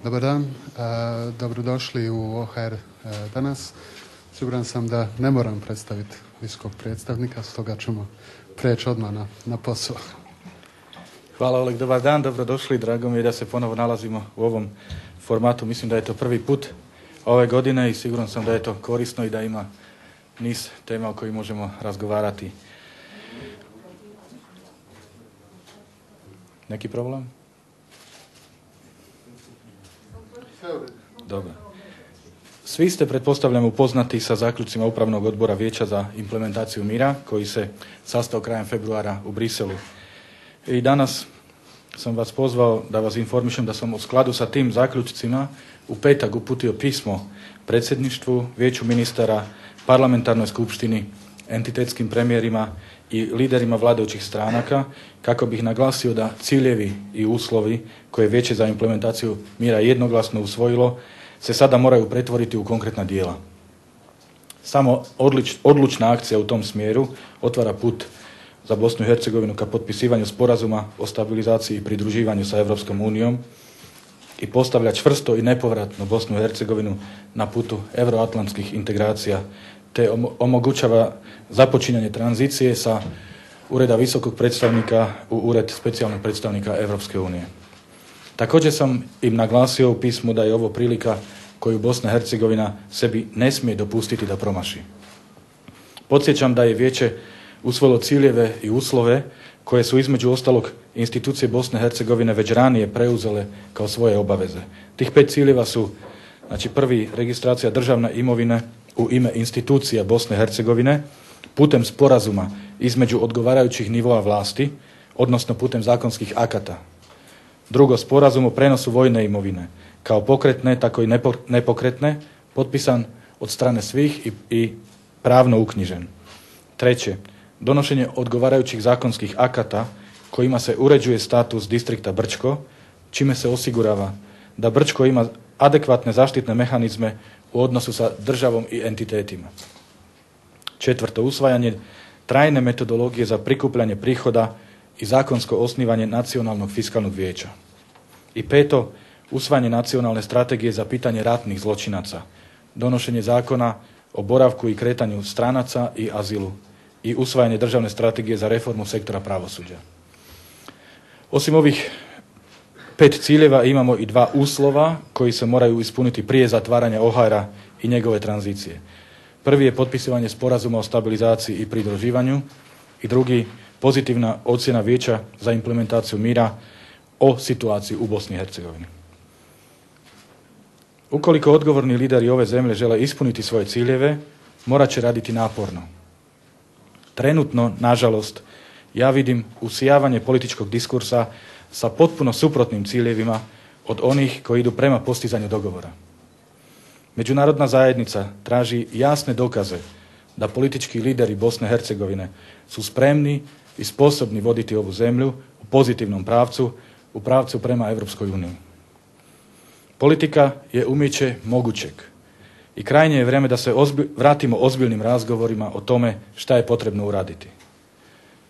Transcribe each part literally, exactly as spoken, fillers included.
Dobar dan, dobrodošli u O H R danas. Siguran sam da ne moram predstaviti visokog predstavnika, stoga ćemo preći odmah na, na posao. Hvala Oleg, dobar dan, dobrodošli. Drago mi je da se ponovo nalazimo u ovom formatu. Mislim da je to prvi put ove godine i siguran sam da je to korisno i da ima niz tema o kojih možemo razgovarati. Neki problem? Dobro. Svi ste, pretpostavljam, upoznati sa zaključcima Upravnog odbora Vijeća za implementaciju mira, koji se sastao krajem februara u Briselu. I danas sam vas pozvao da vas informišem da sam u skladu sa tim zaključcima u petak uputio pismo predsjedništvu, Vijeću ministara, parlamentarnoj skupštini, entitetskim premijerima i liderima vladajućih stranaka kako bih naglasio da ciljevi i uslovi koje Vijeće za implementaciju mira jednoglasno usvojilo se sada moraju pretvoriti u konkretna djela. Samo odlič, odlučna akcija u tom smjeru otvara put za Bosnu i Hercegovinu ka potpisivanju sporazuma o stabilizaciji i pridruživanju sa Europskom unijom i postavlja čvrsto i nepovratno Bosnu i Hercegovinu na putu euroatlantskih integracija te omogućava započinjanje tranzicije sa ureda visokog predstavnika u ured specijalnog predstavnika Europske unije. Također sam im naglasio u pismu da je ovo prilika koju Bosna i Hercegovina sebi ne smije dopustiti da promaši. Podsjećam da je Vijeće usvojilo ciljeve i uslove koje su između ostalog institucije Bosne i Hercegovine već ranije preuzele kao svoje obaveze. Tih pet ciljeva su, znači prvi, registracija državne imovine u ime institucija Bosne i Hercegovine putem sporazuma između odgovarajućih nivoa vlasti, odnosno putem zakonskih akata. Drugo, sporazum o prenosu vojne imovine, kao pokretne, tako i nepokretne, potpisan od strane svih i, i pravno uknjižen. Treće, donošenje odgovarajućih zakonskih akata kojima se uređuje status distrikta Brčko, čime se osigurava da Brčko ima adekvatne zaštitne mehanizme u odnosu sa državom i entitetima. Četvrto, usvajanje trajne metodologije za prikupljanje prihoda i zakonsko osnivanje nacionalnog fiskalnog vijeća. I peto, usvajanje nacionalne strategije za pitanje ratnih zločinaca, donošenje zakona o boravku i kretanju stranaca i azilu i usvajanje državne strategije za reformu sektora pravosuđa. Osim ovih pet ciljeva imamo i dva uslova koji se moraju ispuniti prije zatvaranja O H R-a i njegove tranzicije. Prvi je potpisivanje sporazuma o stabilizaciji i pridruživanju i drugi pozitivna ocjena Vijeća za implementaciju mira o situaciji u Bosni i Hercegovini. Ukoliko odgovorni lideri ove zemlje žele ispuniti svoje ciljeve, morat će raditi naporno. Trenutno, nažalost, ja vidim usijavanje političkog diskursa sa potpuno suprotnim ciljevima od onih koji idu prema postizanju dogovora. Međunarodna zajednica traži jasne dokaze da politički lideri Bosne i Hercegovine su spremni i sposobni voditi ovu zemlju u pozitivnom pravcu, u pravcu prema Europskoj uniji. Politika je umijeće mogućeg i krajnje je vrijeme da se ozbi, vratimo ozbiljnim razgovorima o tome šta je potrebno uraditi.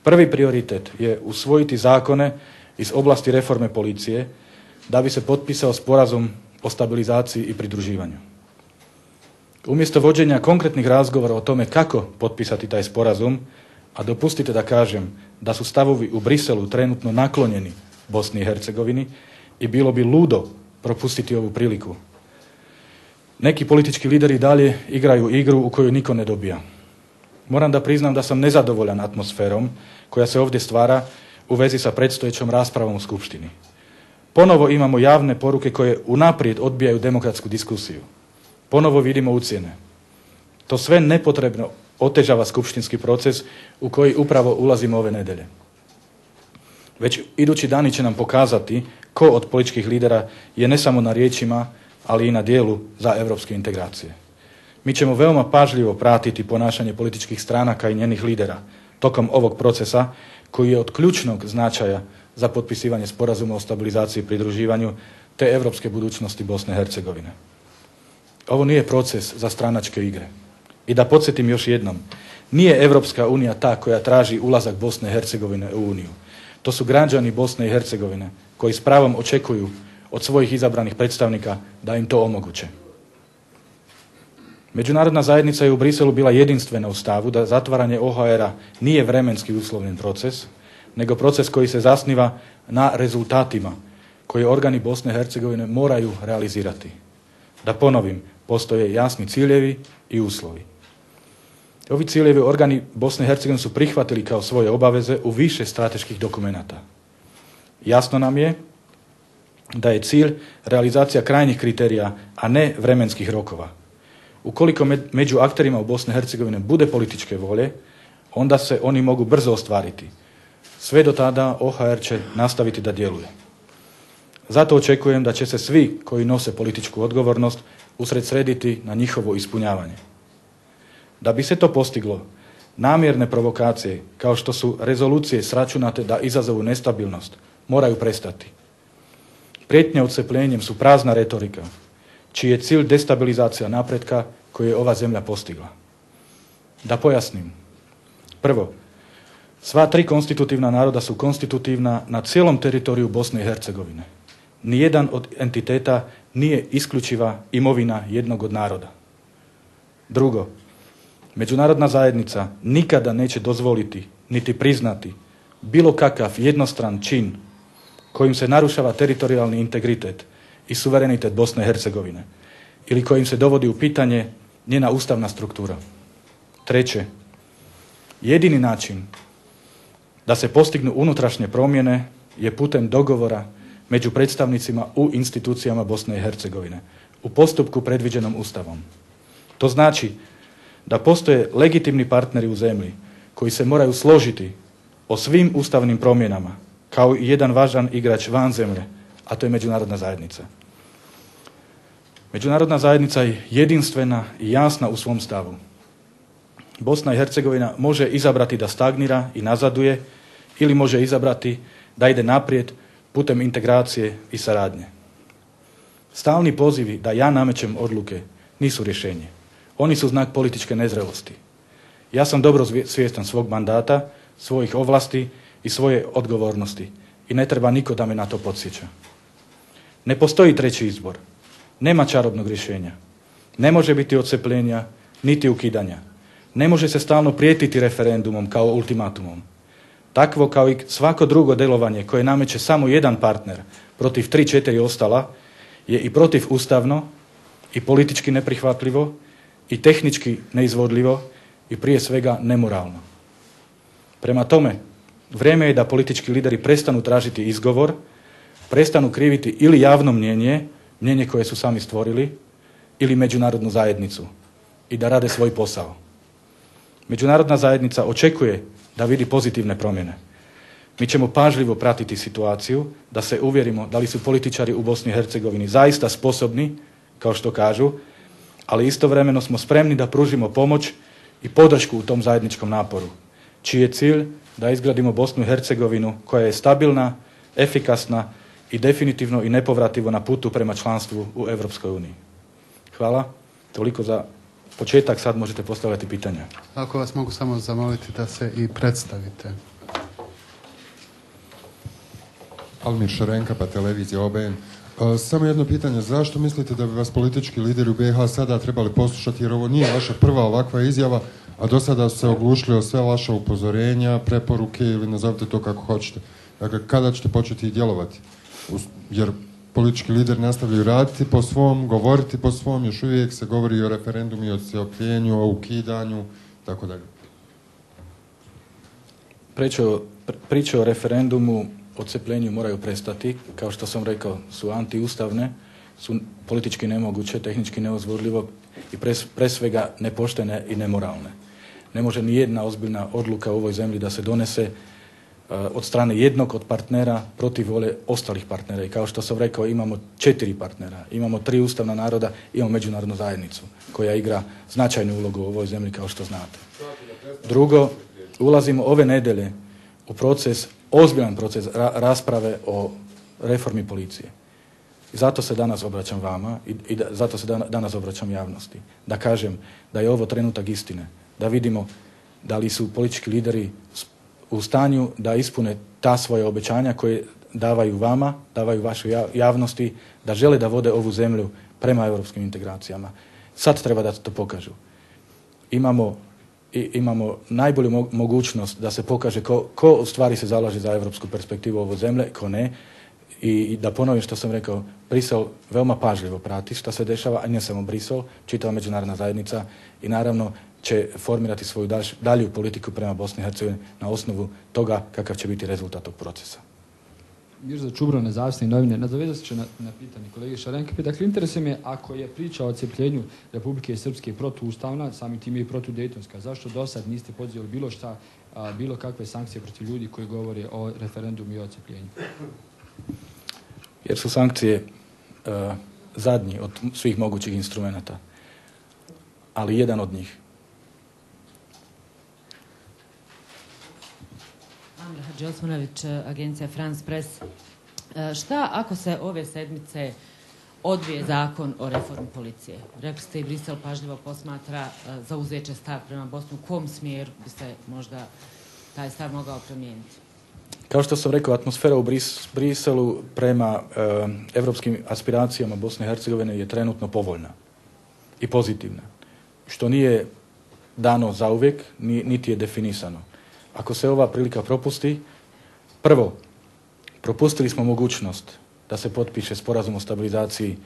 Prvi prioritet je usvojiti zakone iz oblasti reforme policije da bi se potpisao sporazum o stabilizaciji i pridruživanju. Umjesto vođenja konkretnih razgovora o tome kako potpisati taj sporazum, a dopustite da kažem da su stavovi u Briselu trenutno naklonjeni Bosni i Hercegovini i bilo bi ludo propustiti ovu priliku. Neki politički lideri dalje igraju igru u kojoj niko ne dobija. Moram da priznam da sam nezadovoljan atmosferom koja se ovdje stvara u vezi sa predstojećom raspravom u Skupštini. Ponovo imamo javne poruke koje unaprijed odbijaju demokratsku diskusiju. Ponovo vidimo ucjene. To sve nepotrebno otežava skupštinski proces u koji upravo ulazimo ove nedelje. Već idući dani će nam pokazati ko od političkih lidera je ne samo na riječima, ali i na dijelu za europske integracije. Mi ćemo veoma pažljivo pratiti ponašanje političkih stranaka i njenih lidera tokom ovog procesa koji je od ključnog značaja za potpisivanje sporazuma o stabilizaciji i pridruživanju te europske budućnosti Bosne i Hercegovine. Ovo nije proces za stranačke igre. I da podsjetim još jednom, nije Europska unija ta koja traži ulazak Bosne i Hercegovine u Uniju. To su građani Bosne i Hercegovine koji s pravom očekuju od svojih izabranih predstavnika da im to omoguće. Međunarodna zajednica je u Briselu bila jedinstvena u stavu da zatvaranje O H R-a nije vremenski uslovljen proces, nego proces koji se zasniva na rezultatima koje organi Bosne i Hercegovine moraju realizirati. Da ponovim, postoje jasni ciljevi i uslovi. Ovi ciljevi organi Bosne i Hercegovine su prihvatili kao svoje obaveze u više strateških dokumenata. Jasno nam je da je cilj realizacija krajnjih kriterija, a ne vremenskih rokova. Ukoliko među akterima u Bosni i Hercegovine bude političke volje, onda se oni mogu brzo ostvariti. Sve do tada O H R će nastaviti da djeluje. Zato očekujem da će se svi koji nose političku odgovornost usredsrediti na njihovo ispunjavanje. Da bi se to postiglo, namjerne provokacije, kao što su rezolucije sračunate da izazovu nestabilnost, moraju prestati. Prijetnje odcepljenjem su prazna retorika, čiji je cilj destabilizacija napretka koju je ova zemlja postigla. Da pojasnim. Prvo, sva tri konstitutivna naroda su konstitutivna na cijelom teritoriju Bosne i Hercegovine. Nijedan od entiteta nije isključiva imovina jednog od naroda. Drugo, međunarodna zajednica nikada neće dozvoliti niti priznati bilo kakav jednostran čin kojim se narušava teritorijalni integritet i suverenitet Bosne i Hercegovine ili kojim se dovodi u pitanje njena ustavna struktura. Treće, jedini način da se postignu unutrašnje promjene je putem dogovora među predstavnicima u institucijama Bosne i Hercegovine u postupku predviđenom Ustavom. To znači da postoje legitimni partneri u zemlji koji se moraju složiti o svim ustavnim promjenama kao i jedan važan igrač van zemlje, a to je međunarodna zajednica. Međunarodna zajednica je jedinstvena i jasna u svom stavu. Bosna i Hercegovina može izabrati da stagnira i nazaduje ili može izabrati da ide naprijed putem integracije i saradnje. Stalni pozivi da ja namećem odluke nisu rješenje. Oni su znak političke nezrelosti. Ja sam dobro svjestan svog mandata, svojih ovlasti i svoje odgovornosti i ne treba niko da me na to podsjeća. Ne postoji treći izbor. Nema čarobnog rješenja. Ne može biti odcepljenja niti ukidanja. Ne može se stalno prijetiti referendumom kao ultimatumom. Takvo kao i svako drugo djelovanje koje nameće samo jedan partner protiv tri, četiri ostala je i protiv ustavno i politički neprihvatljivo i tehnički neizvodljivo i prije svega nemoralno. Prema tome, vrijeme je da politički lideri prestanu tražiti izgovor, prestanu kriviti ili javno mnjenje, mnjenje koje su sami stvorili, ili međunarodnu zajednicu i da rade svoj posao. Međunarodna zajednica očekuje da vidi pozitivne promjene. Mi ćemo pažljivo pratiti situaciju da se uvjerimo da li su političari u Bosni i Hercegovini zaista sposobni, kao što kažu, ali istovremeno smo spremni da pružimo pomoć i podršku u tom zajedničkom naporu, čiji je cilj da izgradimo Bosnu i Hercegovinu koja je stabilna, efikasna i definitivno i nepovrativo na putu prema članstvu u Europskoj uniji. Hvala. Toliko za početak, sad možete postavljati pitanja. Ako vas mogu samo zamoliti da se i predstavite. Almir Šarenka, pa televizija O B N. Samo jedno pitanje, zašto mislite da bi vas politički lideri u B iH sada trebali poslušati, jer ovo nije vaša prva ovakva izjava, a do sada su se oglušili o sve vaša upozorenja, preporuke ili nazovite to kako hoćete. Dakle, kada ćete početi djelovati? Jer politički lideri nastavljaju raditi po svom, govoriti po svom, još uvijek se govori o referendumu i o odcepljenju, o ukidanju, tako dalje. Priče o, priče o referendumu, odcepljenju moraju prestati, kao što sam rekao, su antiustavne, su politički nemoguće, tehnički neozvodljivo i pre, pre svega nepoštene i nemoralne. Ne može ni jedna ozbiljna odluka u ovoj zemlji da se donese uh, od strane jednog od partnera protiv vole ostalih partnera. I kao što sam rekao, imamo četiri partnera, imamo tri ustavna naroda, imamo međunarodnu zajednicu koja igra značajnu ulogu u ovoj zemlji, kao što znate. Drugo, ulazimo ove nedelje u proces, ozbiljan proces ra- rasprave o reformi policije. I zato se danas obraćam vama i, i da, zato se dan, danas obraćam javnosti. Da kažem da je ovo trenutak istine. Da vidimo da li su politički lideri u stanju da ispune ta svoja obećanja koje davaju vama, davaju vašoj javnosti, da žele da vode ovu zemlju prema europskim integracijama. Sad treba da to pokažu. Imamo, i, imamo najbolju mo- mogućnost da se pokaže ko, ko u stvari se zalaže za europsku perspektivu ove zemlje, ko ne. I, I da ponovim što sam rekao, Brisel veoma pažljivo prati što se dešava, a ne samo Brisel, čitava međunarodna zajednica i naravno će formirati svoju dalj, dalju politiku prema Bosni i Hercegovini na osnovu toga kakav će biti rezultat tog procesa. Mirza Čubro, Nezavisne novine. Nadovezat ću na, na pitanje kolege Šarenke. Dakle, interesuje me ako je priča o odcepljenju Republike Srpske protuustavna, samim tim i protudejtonska. Zašto do sad niste pozivali bilo šta, a, bilo kakve sankcije protiv ljudi koji govore o referendumu i o odcepljenju? Jer su sankcije uh, zadnji od svih mogućih instrumenata, ali jedan od njih. Amra Hadži-Osmanović, agencija France Press. Šta ako se ove sedmice odbije zakon o reformi policije? Rekli ste i Brisel pažljivo posmatra zauzeće stav prema Bosnu. U kom smjeru bi se možda taj stav mogao promijeniti? Kao što sam rekao, atmosfera u Bris, Briselu prema e, evropskim aspiracijama Bosne i Hercegovine je trenutno povoljna i pozitivna, što nije dano zauvijek, ni, niti je definisano. Ako se ova prilika propusti, prvo, propustili smo mogućnost da se potpiše sporazum o stabilizaciji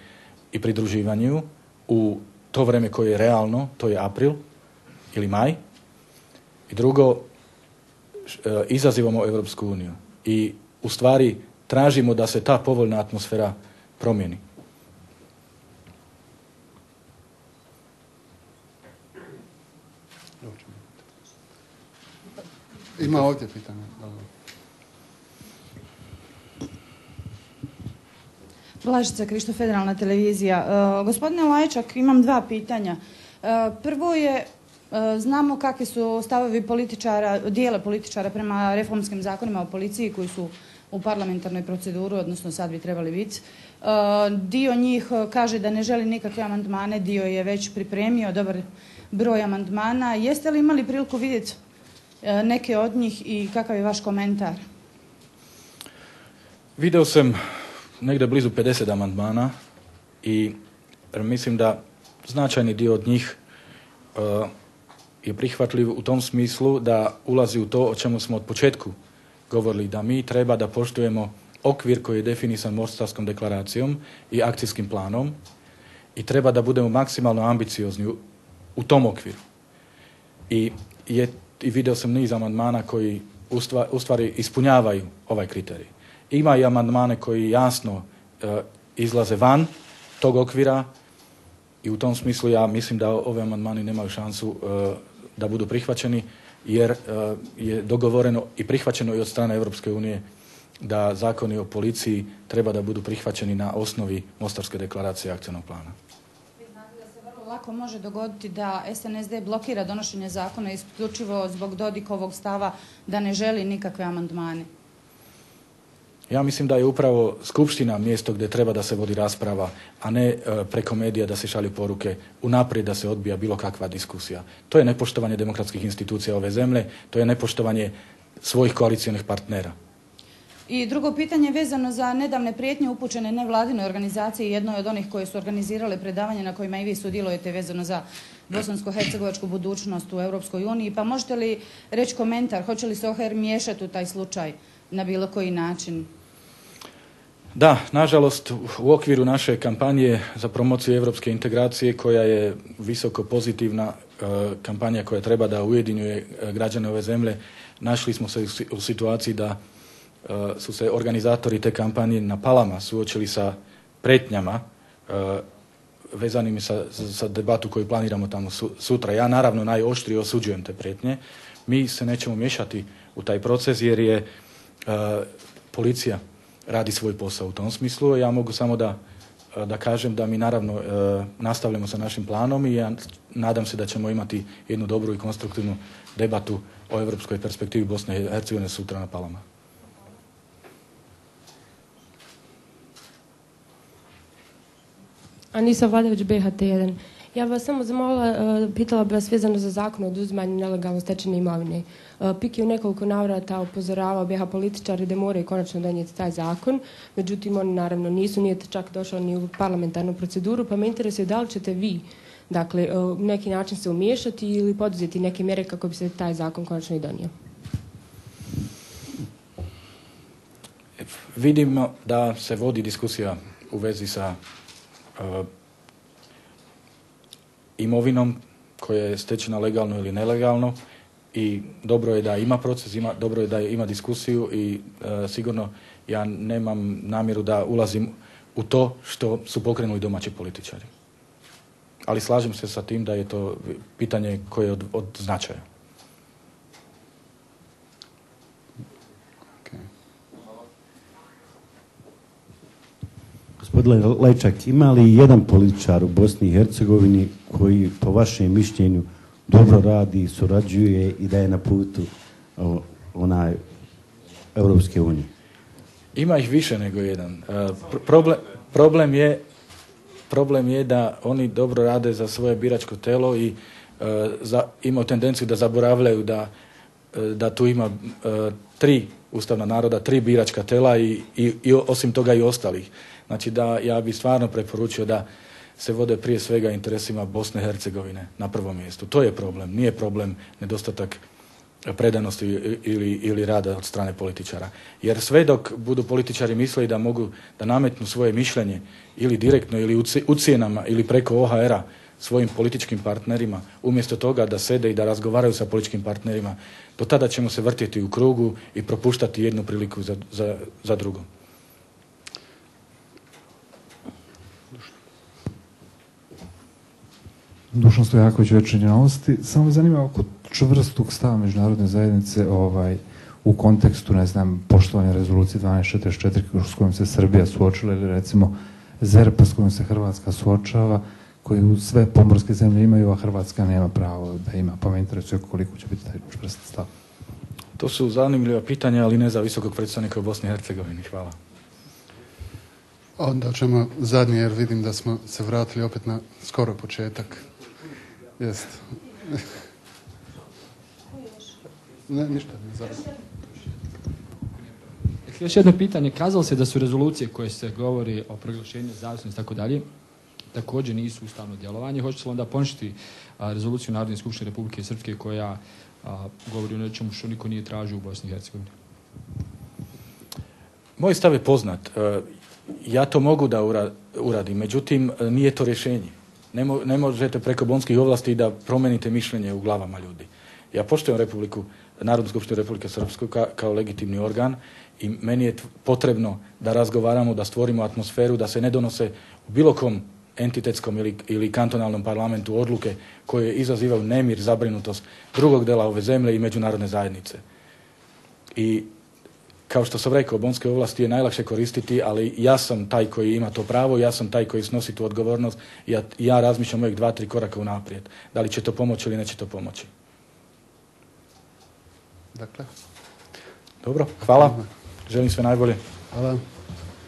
i pridruživanju u to vreme koje je realno, to je april ili maj. I drugo, izazivamo Evropsku uniju i u stvari tražimo da se ta povoljna atmosfera promijeni. Ima ovdje pitanje. Blažica Krišto, Federalna televizija. Uh, gospodine Lajčak, imam dva pitanja. Uh, prvo je, uh, znamo kakvi su stavovi političara, dijela političara prema reformskim zakonima o policiji koji su u parlamentarnoj proceduru, odnosno sad bi trebali biti. Uh, dio njih kaže da ne želi nikakve amandmane, dio je već pripremio dobar broj amandmana. Jeste li imali priliku vidjeti uh, neke od njih i kakav je vaš komentar? Video sam negdje blizu pedeset amandmana i mislim da značajni dio od njih uh, je prihvatljiv u tom smislu da ulazi u to o čemu smo od početku govorili, da mi treba da poštujemo okvir koji je definisan Mostarskom deklaracijom i akcijskim planom i treba da budemo maksimalno ambiciozni u, u tom okviru. I, je, i video sam niz amandmana koji u stvari, u stvari ispunjavaju ovaj kriterij. Ima i amandmane koji jasno e, izlaze van tog okvira i u tom smislu ja mislim da ove amandmani nemaju šansu e, da budu prihvaćeni jer e, je dogovoreno i prihvaćeno i od strane Europske unije da zakoni o policiji treba da budu prihvaćeni na osnovi Mostarske deklaracije i akcijnog plana. Vi znate da se vrlo lako može dogoditi da S N S D blokira donošenje zakona isključivo zbog Dodikovog stava da ne želi nikakve amandmane. Ja mislim da je upravo Skupština mjesto gdje treba da se vodi rasprava, a ne e, preko medija da se šalju poruke unaprijed da se odbija bilo kakva diskusija. To je nepoštovanje demokratskih institucija ove zemlje, to je nepoštovanje svojih koalicionih partnera. I drugo pitanje vezano za nedavne prijetnje upućene nevladine organizacije, jednoj od onih koje su organizirale predavanje na kojima i vi sudjelujete vezano za bosansko-hercegovačku budućnost u Europskoj uniji. Pa možete li reći komentar, hoće li se O H R miješati u taj slučaj na bilo koji način? Da, nažalost, u okviru naše kampanje za promociju evropske integracije, koja je visoko pozitivna e, kampanja koja treba da ujedinjuje građane ove zemlje, našli smo se u situaciji da e, su se organizatori te kampanje na Palama suočili sa pretnjama e, vezanim sa, sa debatu koju planiramo tamo su, sutra. Ja naravno najoštrije osuđujem te pretnje. Mi se nećemo miješati u taj proces jer je e, policija radi svoj posao u tom smislu. Ja mogu samo da, da kažem da mi naravno e, nastavljamo sa našim planom i ja nadam se da ćemo imati jednu dobru i konstruktivnu debatu o evropskoj perspektivi Bosne i Hercegovine sutra na Palama. Anisa Vladević, B H T jedan. Ja bih vas samo zamolila, pitala bih vas vezano za zakon o oduzimanju nelegalno stečene imovine. Pik je u nekoliko navrata upozoravao B H političari da moraju konačno donijeti taj zakon, međutim oni naravno nisu, nije čak došao ni u parlamentarnu proceduru, pa me interesuje da li ćete vi dakle, u neki način se umiješati ili poduzeti neke mjere kako bi se taj zakon konačno i donio. Vidimo da se vodi diskusija u vezi sa uh, imovinom koja je stečena legalno ili nelegalno i dobro je da ima proces, ima, dobro je da ima diskusiju i uh, sigurno ja nemam namjeru da ulazim u to što su pokrenuli domaći političari. Ali slažem se sa tim da je to pitanje koje je od, od značaja. Gospodine Lajčak, ima li jedan političar u Bosni i Hercegovini koji po vašem mišljenju dobro radi, surađuje i da je na putu o, onaj Europske unije? Ima ih više nego jedan. Problem, problem, je, problem je da oni dobro rade za svoje biračko telo i uh, za, imaju tendenciju da zaboravljaju da, uh, da tu ima uh, tri ustavna naroda, tri biračka tela i, i, i osim toga i ostalih. Znači da ja bih stvarno preporučio da se vode prije svega interesima Bosne i Hercegovine na prvom mjestu. To je problem. Nije problem nedostatak predanosti ili, ili rada od strane političara. Jer sve dok budu političari mislili da mogu da nametnu svoje mišljenje ili direktno ili ucijenama ili preko O H R-a svojim političkim partnerima, umjesto toga da sede i da razgovaraju sa političkim partnerima, do tada ćemo se vrtjeti u krugu i propuštati jednu priliku za, za, za drugu. Dušan Stojaković, Večernje novosti. Samo me zanima oko čvrstog stava međunarodne zajednice ovaj, u kontekstu, ne znam, poštovanja rezolucije dvanaest četrdeset četiri s kojom se Srbija suočila ili recimo Z E R P s kojom se Hrvatska suočava, koju sve pomorske zemlje imaju, a Hrvatska nema pravo da ima. Pa me interesuje koliko će biti taj čvrst stav. To su zanimljiva pitanja, ali ne za visokog predstavnika u Bosni i Hercegovini. Hvala. Onda ćemo zadnje, jer vidim da smo se vratili opet na skoro početak. Jest. Ne, ništa, ne zaraz. Još jedno pitanje. Kazalo se da su rezolucije koje se govori o proglašenju zavisnosti i tako dalje, također nisu ustavno djelovanje. Hoće se onda poništiti rezoluciju Narodne skupštine Republike Srpske koja a, govori o nečemu što niko nije tražio u Bosni i Hercegovini? Moj stav je poznat. Ja to mogu da uradim, međutim nije to rješenje. Ne, mo, ne možete preko bonskih ovlasti da promenite mišljenje u glavama ljudi. Ja poštujem Republiku, Narodnu skupštinu Republike Srpsku ka, kao legitimni organ i meni je potrebno da razgovaramo, da stvorimo atmosferu, da se ne donose u bilo kom entitetskom ili, ili kantonalnom parlamentu odluke koje izazivaju nemir, zabrinutost drugog dela ove zemlje i međunarodne zajednice. I kao što sam rekao, bonske ovlasti je najlakše koristiti, ali ja sam taj koji ima to pravo, ja sam taj koji snosi tu odgovornost i ja, ja razmišljam uvijek dva, tri koraka unaprijed. Da li će to pomoći ili neće to pomoći. Dakle. Dobro, hvala. Želim sve najbolje. Hvala.